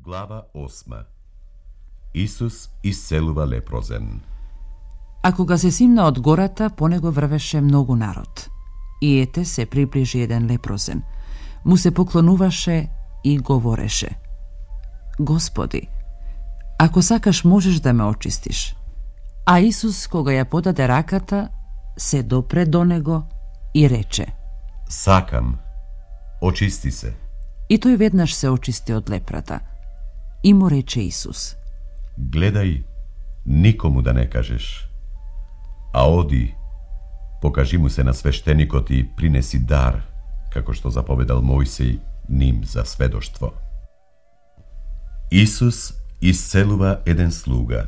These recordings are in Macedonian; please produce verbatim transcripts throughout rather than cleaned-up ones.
Глава осма. Исус исцелува лепрозен. А кога се симна од гората, по него врвеше многу народ. И ете се приближи еден лепрозен. Му се поклонуваше и говореше: Господи, ако сакаш можеш да ме очистиш. А Исус, кога ја подаде раката, се допре до него и рече: Сакам, очисти се. И тој веднаш се очисти од лепрата. И му рече Исус: Гледај, никому да не кажеш. А оди, покажи му се на свештеникот и принеси дар, како што заповедал Мојсей ним за сведоштво. Исус исцелува еден слуга.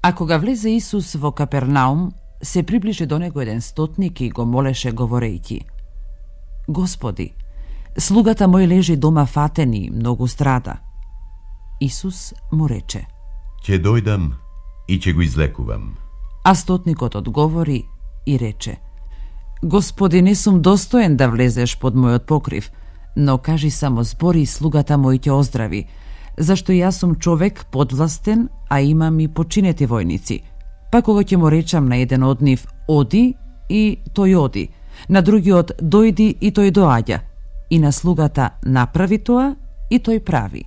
А кога влезе Исус во Капернаум, се приближи до него еден стотник и го молеше говорејќи: Господи, слугата мој лежи дома фатен и многу страда. Исус му рече: Ќе дојдам и ќе го излекувам. А стотникот одговори и рече: Господи, не сум достоен да влезеш под мојот покрив, но кажи само збори и слугата мој ќе оздрави, зашто јас сум човек подвластен, а имам и починети војници. Па кога ќе му речам на еден од нив оди, и тој оди, на другиот дојди и тој доаѓа, и на слугата направи тоа и тој прави.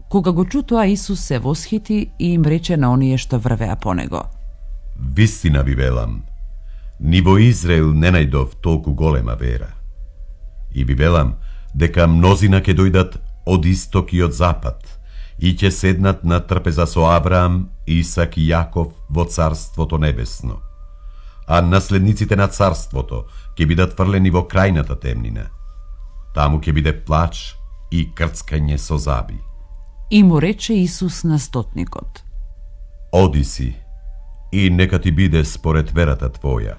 Кога го чу тоа, Исус се восхити и им рече на оние што врвеа по него: Вистина ви велам, ни во Израел не најдов толку голема вера. И ви велам дека мнозина ќе дојдат од исток и од запад и ќе седнат на трпеза со Авраам, Исак и Јаков во Царството Небесно. А наследниците на Царството ќе бидат фрлени во крајната темнина. Таму ќе биде плач и крцкање со заби. И му рече Исус на стотникот: Оди си и нека ти биде според верата твоја.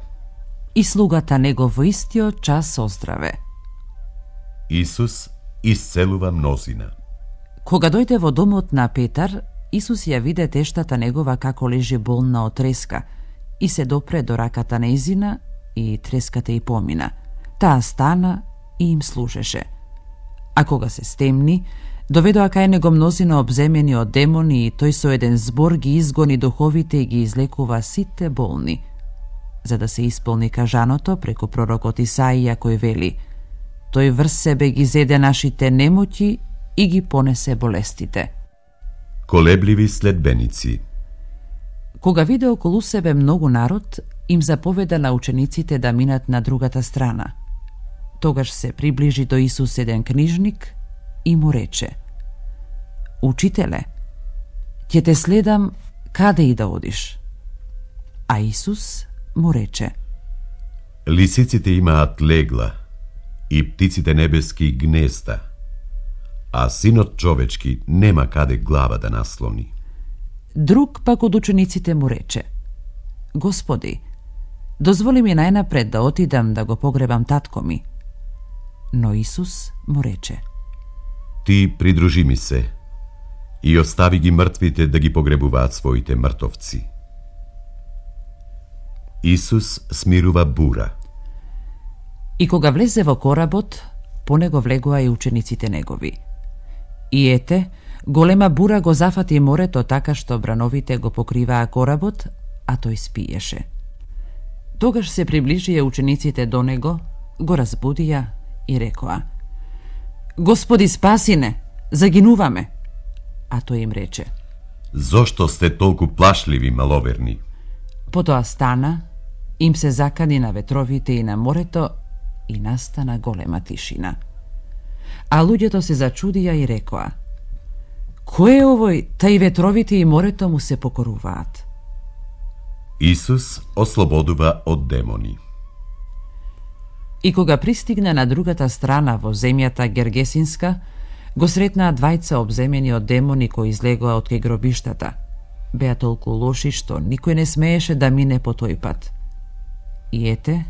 И слугата него во истиот час оздраве. Исус исцелува мнозина. Кога дојде во домот на Петар, Исус ја виде тештата негова како лежи болна од треска и се допре до раката нејзина и треската и помина. Таа стана и им служеше. А кога се стемни, доведоа кај него мнозина обземени од демони и тој со еден збор ги изгони духовите и ги излекува сите болни, за да се исполни кажаното преку пророкот Исаија кој вели: Тој врз себе ги зеде нашите немоќи и ги понесе болестите. Колебливи следбеници. Кога виде околу себе многу народ, им заповеда на учениците да минат на другата страна. Тогаш се приближи до Исус еден книжник и му рече: Учителе, ќе те следам каде и да одиш. А Исус му рече: Лисиците имаат легла и птиците небески гнезда, а синот човечки нема каде глава да наслони. Друг пак од учениците му рече: Господи, дозволи ми најнапред да отидам да го погребам татко ми. Но Исус му рече: Ти придружи ми се и остави ги мртвите да ги погребуваат своите мртовци. Исус смирува бура. И кога влезе во коработ, по него влегоа и учениците негови. И ете, голема бура го зафати морето така што брановите го покриваа коработ, а тој спиеше. Тогаш се приближија учениците до него, го разбудија и рекоа: Господи, спаси не, загинуваме. А тој им рече: Зошто сте толку плашливи, маловерни? Потоа стана, им се закани на ветровите и на морето и настана голема тишина. А луѓето се зачудија и рекоа: Кој е овој, тај ветровите и морето му се покоруваат? Исус ослободува од демони. И кога пристигна на другата страна во земјата Гергесинска, го сретнаа двајца обземени од демони кои излегоа од кај гробиштата. Беа толку лоши што никој не смееше да мине по тој пат. И ете,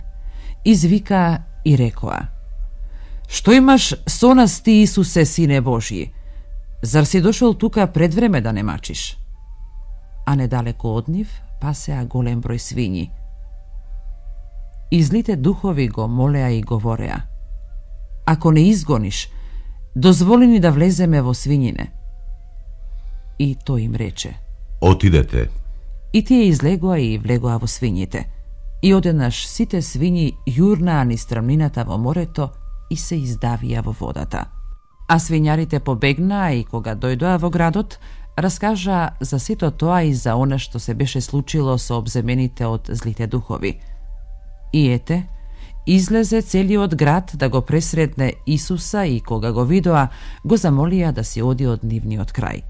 извикаа и рекоа: Што имаш со нас ти, Исусе, Сине Божји? Зар си дошол тука пред време да не мачиш? А недалеку од нив пасеа голем број свињи. И злите духови го молеа и говореа: Ако не изгониш, дозволи ни да влеземе во свињине. И тој им рече: Отидете. И тие излегоа и влегоа во свињите. И одеднаш сите свињи јурнаа низ страмнината во морето и се издавија во водата. А свињарите побегнаа и кога дојдоа во градот, раскажаа за сето тоа и за она што се беше случило со обземените од злите духови. И ете, излезе целиот град да го пресретне Исуса и кога го видоа, го замолија да си оди од нивниот крај.